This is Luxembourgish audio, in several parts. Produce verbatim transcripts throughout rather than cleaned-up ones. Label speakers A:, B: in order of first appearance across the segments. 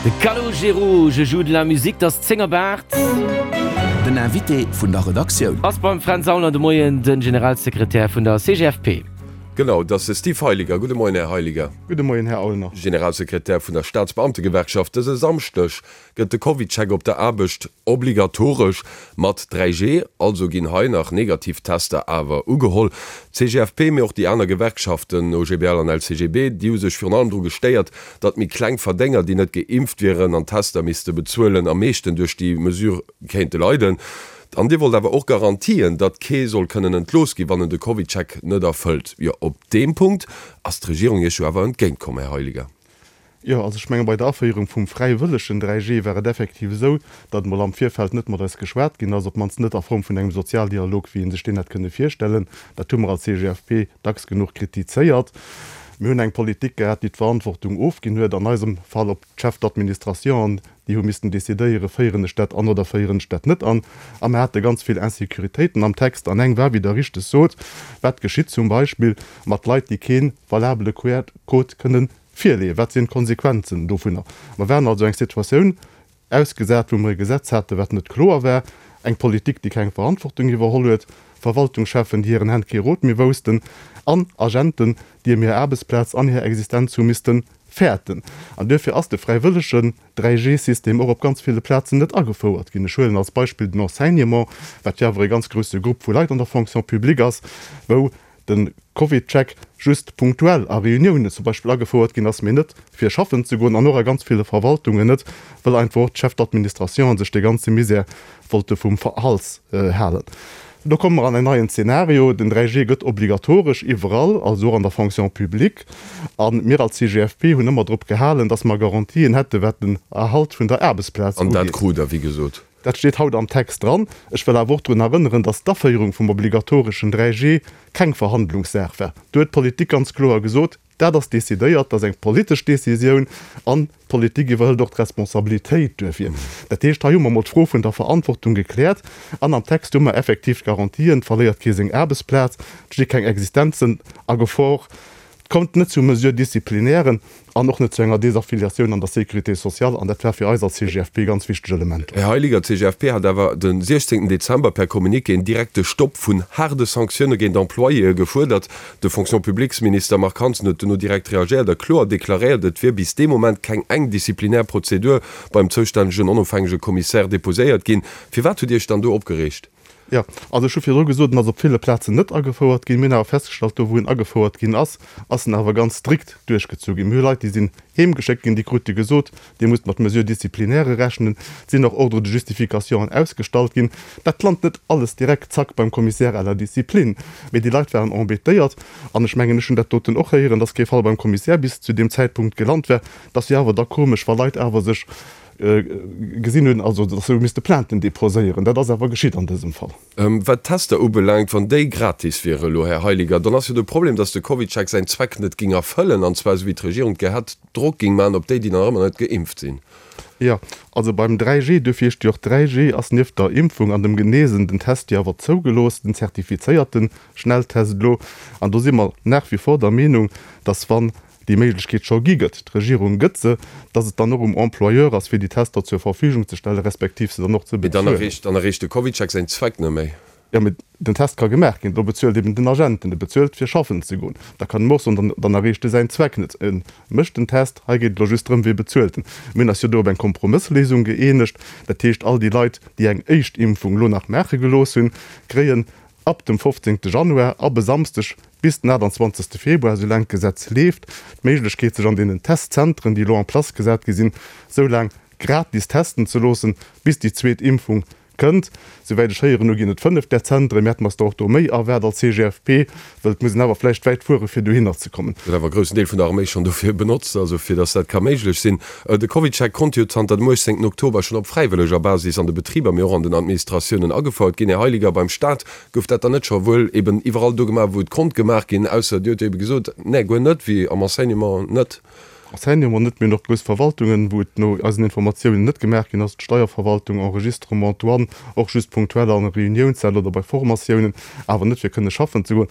A: De Calogero, Je joue de la musique, 't ass zéng op aacht.
B: Den Invité vun der Redaktioun.
A: Ass beim Fränz Aulner de Moien den Generalsekretär vun der C G F P.
C: Genau, dat ass de Steve Heiliger. Gudde Moien, Här Heiliger.
D: Gudde Moien, Här Aulner.
C: Generalsekretär vun der Staatsbeamtegewerkschaft. Dëse Samschdeg gëtt de CovidCheck op der Aarbecht obligatoresch mat dräi G, also ginn hei nach negativ Tester awer ugeholl. C G F P, mee och déi aner Gewerkschaften O G B L an L C G B, déi hu sech virun allem dru gestéiert, datt méi kleng Verdénger, déi net geimpft wieren an Tester misste bezuelen, am meeschten duerch déi Mesure kéinte leiden. An Dir wollt awer och Garantien, datt kee soll kënnen entlooss ginn, wann en de CovidCheck net erfëllt. Jo, op deem Punkt ass d'Regierung Iech jo awer entgéintkomm, Här Heiliger.
D: Jo, also ech menge bei der Aféierung vum fräiwëllegen dräi G war et effektiv esou, datt emol am Virfeld net mat eis geschwat ginn ass, op d'mannst net a Form vun engem Sozialdialog, wéi ee sech deen hätt kënne virstellen. Dat hu mer als C G F P dacks genuch kritizéiert. Mir hunn eng Politik gehat, déi d'Verantwortung ofginn huet, an eisem Fall op d'Chefs d'administration, déi hu missten decidéieren, féieren ech dat an oder féieren ech dat net an. A mir hate ganz vill Insécuritéiten am Text an eng war, wéi Der richteg sot, wat geschitt zum Beispill mat Leit, déi kee valabele Q R-Code kënnen virleeën, wat sinn d'Konsequenzen dovunner? Mer waren also eng Situatioun ausgesat, wou mer e Gesetz haten, wat net kloer war, eng Politik, déi keng Verantwortung iwwerholl huet, Verwaltungscheffen, déi hiren Hänn kee Rot méi woussten, an Agenten, déi ëm hir Aarbechtsplaz an hir Existenz hu misste fäerten. An duerfir ass de fräiwëllegen dräi G System och op ganz ville Plazen net agefouert ginn. Ech huelen als Beispill den Enseignement, wat jo awer e ganz grousse Grupp vu Leit an der Fonction publique ass, wou de CovidCheck just punktuell a Reuniounen zum Beispill agefouert ginn ass, mee net fir schaffen ze goen, an och a ganz ville Verwaltungen net, well einfach och d'Chefs d'administration sech dee ganze Misär wollte vum Hals halen. Do komme mer an en neien Zeenario, Den dräi G gëtt obligatoresch iwwerall, also och an der Fonction publique. A mir als C G F P hunn ëmmer drop gehalen, dass mer Garantien hätte wat den Erhalt vun der Aarbechtsplaz
C: An dat
D: ugeet.
C: krut Der, wéi gesot.
D: Dat steet haut am Text dran. Ech wëll awer och drun erënneren, dass d'Aféierung vum obligatoreschen dräi G keng Verhandlungssaach war. Do huet d'Politik ganz kloer gesot, Dat ass decidéiert, dat ass eng politesch Decisioun an d'Politik iwwerhëlt och d'Responsabilitéit duerfir. Dat heescht, hei hu mer emol d'Fro vun der Verantwortung gekläert an am Text hu mer effektiv d'Garantien, et verléiert kee seng Aarbechtsplaz, et sti keng Existenzen a Gefor, et kommt net zu Mesures disciplinairen an och net zu enger Desaffiliatioun an der Sécurité sociale an dat war fir eis als C G F P ganz wichteg Elementer.
C: Här Heiliger, d'C G F P hat awer de siechzéngten Dezember per Communiqué en direkte Stopp vun haarde Sanktioune géint Employéë gefuerdert. De Fonction-publiques-Minister Marc Hansen huet dono direkt reagéiert a kloer deklaréiert, et wier bis dee Moment keng eng disziplinär Prozedur beim zoustännegen onofhängege Kommissär deposéiert ginn. Firwat hutt Dir Iech dann do opgereegt?
D: Jo, also ech hu virdru gesot, en ass op ville Plazen net agefouert ginn. Mir hunn awer festgestallt, do wou en agefouert ginn ass, ass en awer ganz strikt duerchgezu ginn. Mir hu Leit, déi sinn heemgeschéckt ginn, déi krute gesot, Dir musst mat Mesures disciplinaires rechnen. Et sinn och Ordres de justification ausgestallt ginn. Dat lant net alles direkt zack beim Commissaire à la discipline, mee déi Leit waren embêtéiert. An ech mengen, ech hunn dat doten och héieren, dass kee Fall beim Commissaire bis zu deem Zäitpunkt gelant war. Dat ass jo awer da komesch, wa Leit awer sech gesinn hunn, also datt se hu misste Plainten deposéieren. Dat ass awer geschitt an dësem Fall.
C: Wat d'Tester ubelaangt, wann déi gratis wiere elo, Här Heiliger, dann ass jo de Problem, datt de CovidCheck säin Zweck net géing erfëllen, an zwar esou wéi d'Regierung et gär hätt, Drock géing maachen op déi, déi nach ëmmer net geimpft sinn.
D: Jo, also beim dräi G, duerfir heescht jo och dräi G, ass nieft der Impfung an dem Genesen den Test jo awer zougelooss, den zertifizéierte Schnelltest elo. An do si mer nach wie vor der Meenung, datt wann déi Méiglechkeet scho gi gëtt, d'Regierung gëtt se, dass et dann och um Employeur ass, fir déi Tester zur Verfügung ze stellen, respektiv se dann och ze
C: Mee dann
D: bezuelen.
C: erreecht, dann erreecht de CovidCheck säin Zweck net méi.
D: Jo, mee den Test ka gemaach ginn, do bezuelt eben den Agent, den e bezuelt, fir schaffen ze goen. Da kann en och soen, dann, dann erreecht e säin Zweck net. E mécht den Test, hei geet et elo just drëm, wie bezuelt en. Mir hunn eis jo do op eng Kompromëssléisung gëeenegt, dat heescht, all déi Leit, déi eng éischt Impfung elo nach maache gelooss hunn, kréien ab dem fofzéngte Januar, ab e Samsdeg bis den aachtanzwanzegste Februar, soulaang d'Gesetz leeft, d'Méiglechkeet, sech an deenen Testzentren, déi elo en place gesat gi sinn, soulaang gratis testen ze loossen, bis déi zweet Impfung kënnt. Souwäit ech héieren hu ginn et fënnef där Zentren. Mir hätten eis der och do méi erwaart als C G F P, well et muss een awer vläicht wäit fuere fir dohinner ze kommen.
C: Gëtt awer e groussen Deel vun der Arméi schonn dofir benotzt, also fir datt dat ka méiglech sinn. De CovidCheck konnt jo zanter dem uechtzéngten Oktober schonn op fräiwëlleger Basis an de Betriber, mee och an den Administratiounen agefouert ginn. Här Heiliger, beim Staat gouf dat dann net scho wuel eben iwwerall do gemaach, wou et konnt gemaach ginn, ausser Dir hutt jo ebe gesot, nee, guer net, wéi am Enseignement net.
D: Enseignement net, mir hunn och grouss Verwaltungen, wou et no eisen Informatiounen net gemaach ginn ass, d'Steierverwaltung, Enregistrement, Douane, och just punktuell an Reuniounssäll oder bei Formatiounen, awer net fir kënne schaffen ze goen.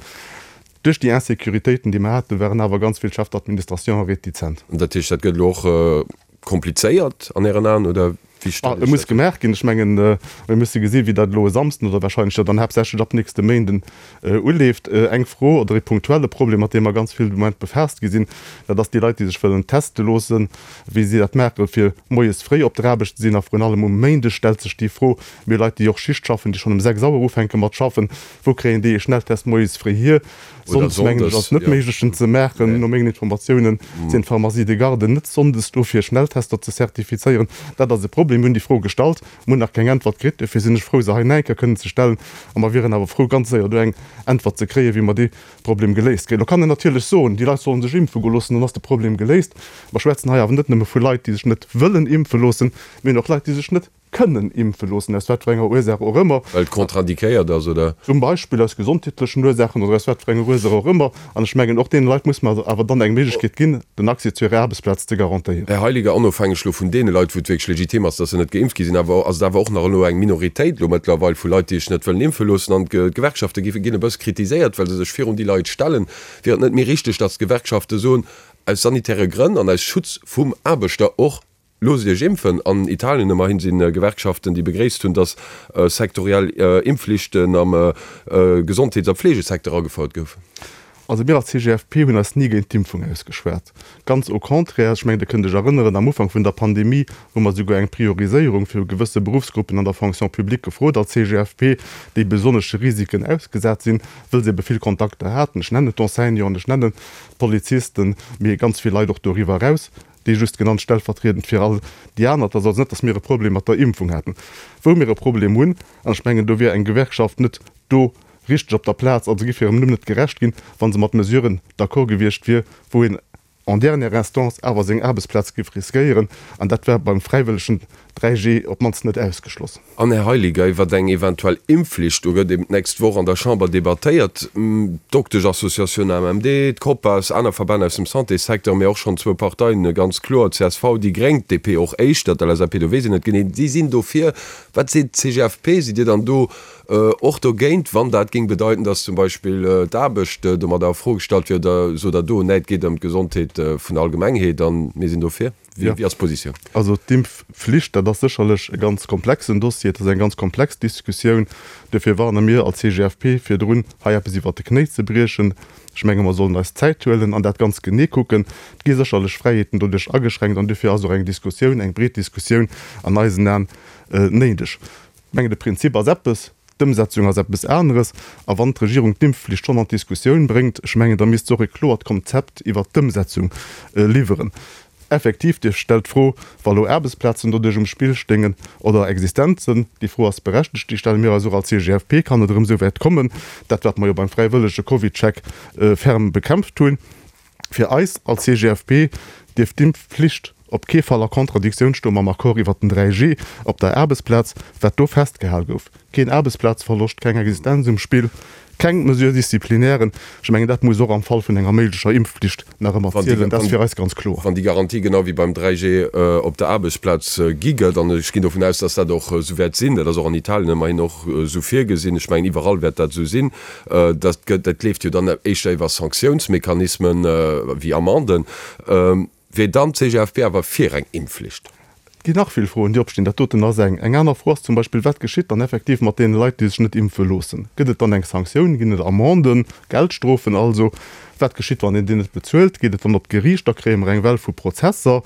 D: Duerch déi Insécuritéiten, déi mer haten, waren awer ganz vill Chefs d'administration retizent.
C: Dat heescht, dat gëtt elo och komplizéiert an Ären Aen oder wéi
D: stellt Dir sech dat vir? E muss gemaach ginn. Ech mengen, mir musse gesi wéi dat elo e Samsden oder wahrscheinlech jo dann haaptsächlech ab nächste Méinden uleeft. Eng Fro oder ee punktuelle Problem, mat deem mer ganz vill de Moment befaasst gi sinn, dat ass déi Leit, déi sech wëllen teste loossen, wéi si dat maache fir moies fréi op der Aarbecht ze sinn. A vrun allem um Méindeg stellt sech déi Fro. Mir hu Leit, déi och Schicht schaffen, déi schonn um sechs Auer ufänke mat schaffen. Wou kréien déi ee Schnelltest moies fréi hier?
C: Oder
D: Sonndes, mengen ech,
C: sonndes,
D: ass et net
C: jo.
D: méiglech en ze maachen.
C: Nee.
D: No mengen Informatiounen sinn d'Pharmacies de garde net sonndes do fir Schnelltester ze zertifizéieren. Dat ass e Problem. Mir hunn déi Fro gestallt, mir hunn nach keng Äntwert kritt. Dofir sinn ech frou, se hei nach eng Kéier kënnen ze stellen. A mer wieren awer frou, ganz séier do eng Äntwert ze kréien, wéi mer dee Problem geléist kréien. Lo kann een natierlech soen, déi Leit sollen sech impfe goe loossen, dann ass de Problem geléist. Mer schwätzen hei awer net nëmme vu Leit, déi sech net wëllen impfe loossen, mir hunn och Leit, déi sech net kënnen impfe loossen, aus wat fir enger Ursaach och ëmmer.
C: Well et contre-indiquéiert ass, oder?
D: Zum Beispill aus gesondheetlechen Ursaachen oder aus wat fir enger Ursaach och ëmmer. An ech mengen, och deene Leit muss mer awer dann eng Méiglechkeet ginn, den Accès zu hirer Aarbechtsplaz ze garantéieren.
C: Här Heiliger, onofhängeg elo vun deene Leit, wou et wierklech legitim ass, dass se net geimpft gi sinn, awer ass et awer och nach elo eng Minoritéit elo mëttlerweil vu Leit, déi sech net wëllen impfe loossen. An d'Gewerkschafte gi ginn e bësse kritiséiert, well se sech virun déi Leit stellen. Wier et net méi richteg, dass d'Gewerkschafte soen, aus sanitäre Grënn an aus Schutz vum Aarbechter och, Loosst Iech impfen! An Italien ëmmerhin si Gewerkschaften, déi begréisst hunn, datt sektoriell Impfflichten am Gesondheets a Fleegesecteur agefouert goufen.
D: Also mir als C G F P hunn eis ni géint d'Impfung ausgeschwat. Ganz au contraire, ech mengen, Dir kënnt Iech erënneren, am Ufank vun der Pandemie hu mer souguer eng Prioriséierung fir gewësse Beruffsgruppen an der Fonction publique gefrot als C G F P, déi besonnesche Risiken ausgesat sinn, wëll se ebe vill Kontakter haten. Ech nennen d'Enseignanten, ech nennen d'Polizisten, mee ganz vill Leit och doriwwer eraus. Déi just genannt stellvertriedend fir all déi aner. Et ass also net, datt mir e Problem mat der Impfung hätten. Wou mir e Problem hunn, an ech mengen, do wier eng Gewerkschaft net do richteg op der Plaz, also géif hirem Numm net gerecht ginn, wa se mat Mesuren d'accord gewiescht wier, wou een en dernière instance awer seng Aarbechtsplaz géif riskéieren. An dat war beim fräiwëllegen dräi G op d'mannst net ausgeschloss.
C: An, Här Heiliger, iwwert eng eventuell Impfflicht, do gëtt eben d'nächst Woch an der Chamber debattéiert. D'Dokteschassociatioun A M M D, d'Copas, aner Verbänn aus dem Santéssecteur, mee och schonn zwou Parteien, ganz kloer csv, déi Gréng, d'D P och éischter, d'L S A P, do weess een net genee, déi sinn dofir. Wat seet d'C G F P? Sidd Dir dann do och dogéint, wann dat géing bedeiten, datt zum Beispill d'Aarbecht domadder a Fro gestallt wier? Oder sot Der do, nee, et geet ëm d'Gesondheet vun der Allgemengheet a mir sinn dofir? Wéi ass d'Positioun?
D: Also d'Impfflicht, dat ass sécherlech e ganz komplexen Dossier, et ass eng ganz komplex Diskussioun. Duerfir warne mir als C G F P virdrun, hei eppes iwwert de Knéi ze briechen. Ech menge mer sollen eis Zäit huelen an dat ganz genee kucken. Et gi sécherlech Fräiheeten doduerch ageschränkt an duerfir ass och eng Diskussioun, eng breet Diskussioun an eisen Aen néideg. Ech mengen de Prinzip ass eppes, d'Ëmsetzung ass eppes aneres. A wann d'Regierung d'Impfflicht schonn an d'Diskussioun bréngt, ech mengen, da misst se och e kloert Konzept iwwert d'Ëmsetzung liwweren. Effektiv, Dir stellt d'Fro, wa lo Aarbechtsplazen doduerch um Spill stéingen oder Existenzen. Déi Fro ass berechtegt, déi stelle mir eis och als C G F P. Kann et erëm esou wäit kommen? Dat, wat mer jo beim fräiwëllege CovidCheck ferm bekämpft hunn. Fir eis als C G F P dierf d'Impfflicht op kee Fall a Kontradiktioun stoe mam Accord iwwert den dräi G op der Aarbechtsplaz, wat do festgehal gouf. Keen Aarbechtsplazverloscht, keng Existenz um Spill, keng Mesures disciplinairen. Ech mengen, dat muss och am Fall vun enger méiglecher Impfflicht nach ëmmer zielen. Dat ass fir eis ganz kloer.
C: Wann déi Garantie genau wéi beim dräi G op der Aarbechtsplaz gi gëtt, an ech ginn dovun aus, dass dat och esou wäert sinn, dat ass och an Italien ëmmerhin och esou virgesinn, ech mengen iwwerall wäert dat esou sinn, dat gëtt, dat leeft jo dann éischter iwwer Sanktiounsmechanismen wéi Amenden, wier dann d'C G F P awer fir eng Impfflicht?
D: Et ginn nach vill Froen, déi opstinn. Dat doten ass eng. Eng aner Fro ass zum Beispill, Wat geschitt dann effektiv mat deene Leit, déi sech net impfe loossen? Gëtt et dann eng Sanktioun? Ginn et Amenden, Geldstrofen also? Wat geschitt, wann een déi net bezuelt? Geet et dann op d'Geriicht? Da kréie mer eng Well vu Prozesser.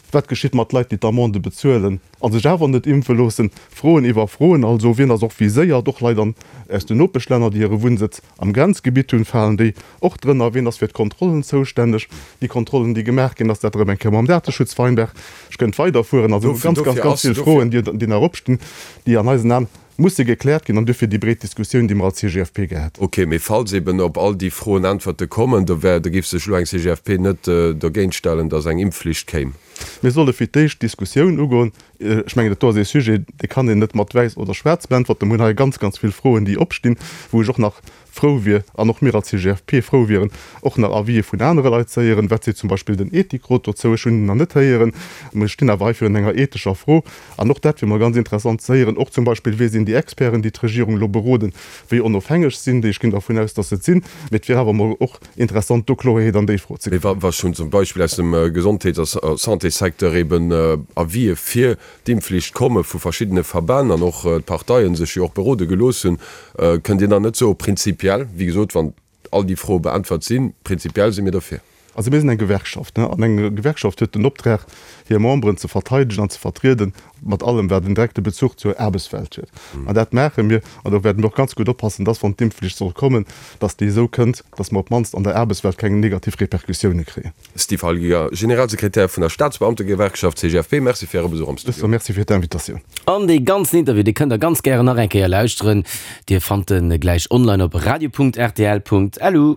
D: Wat geschitt mat Leit, déi d'Amende bezuelen a sech awer net impfe loossen? Froen iwwer Froen also. Wien ass och viséiert? Och Leit an aus den Nopeschlänner, déi hire Wunnsëtz am Grenzgebitt hunn, falen déi och drënner? Wien ass fir d'Kontrollen zoustänneg? Déi Kontrollen, déi gemaach ginn, ass dat erëm eng Kéier mam Dateschutz vereinbar? Ech kënnt weiderfueren. Also ganz, ganz, ganz vill Froen, déi nach opstinn, déi an eisen Aen musse gekläert ginn an duerfir déi breet Diskussioun, déi mer als C G F P gehat.
C: Ok, mee falls eben op all déi Froen Äntwerte kommen, da wär, da géif sech elo eng C G F P net dergéint stellen, datt eng Impfflicht kéim.
D: Mir solle fir d'éischt d'Diskussioun ugoen. Ech mengen, dat do ass ee Sujet, dee kann een net mat wäiss oder schwaarz beäntwerten. Mir hunn hei ganz, ganz vill Froen, déi opstinn, wou ech och nach frou wier, an och mir als C G F P frou wieren, och nach Avisë vun anere Leit ze héieren. Wat seet zum Beispill den Ethikrot dozou? Ech hunn en nach net héieren. Mir stinn awer hei virun enger ethescher Fro. An och dat wier mol ganz interessant ze héieren. Och zum Beispill, Wie sinn déi déi Experten, déi d'Regierung elo beroden, wéi onofhängeg sinn déi? Ech ginn dervun aus, datt se et sinn, mee et wier awer emol och interessant, do Kloerheet an déi Fro ze
C: Mee
D: kréien.
C: wa schonn zum Beispill aus dem Gesondheets a Santéssecteur eben Avisë fir d'Impfflicht komme vu verschiddene Verbänn an och d'Parteien sech jo och berode gelooss hunn, kënnt Dir dann net soe prinzipiell, wéi gesot, wann all déi Froe beäntwert sinn, prinzipiell si mir derfir?
D: Also mir sinn eng Gewerkschaft, an eng Gewerkschaft huet den Optrag, hir Memberen ze verteidegen an ze vertrieden, mat allem wat en direkte Bezuch zur Aarbechtswelt huet. An dat maache mir. An do wäerte mir och ganz gutt oppassen, dass, wann d'Impfflicht soll kommen, dass déi esou kënnt, dass mer op d'mannst an der Aarbechtswelt keng negativ Repercussioune kréien.
C: Steve Heiliger, Generalsekretär vun der Staatsbeamtegewerkschaft C G F P, Merci fir Äre Besuch am
D: Ech
C: Studio.
D: soe Merci fir d'Invitatioun.
A: An dee ganzen Interview, dee kënnt der ganz gären nach eng Kéier lauschteren. Dir fannt en gläich online op radio Punkt R T L Punkt L U.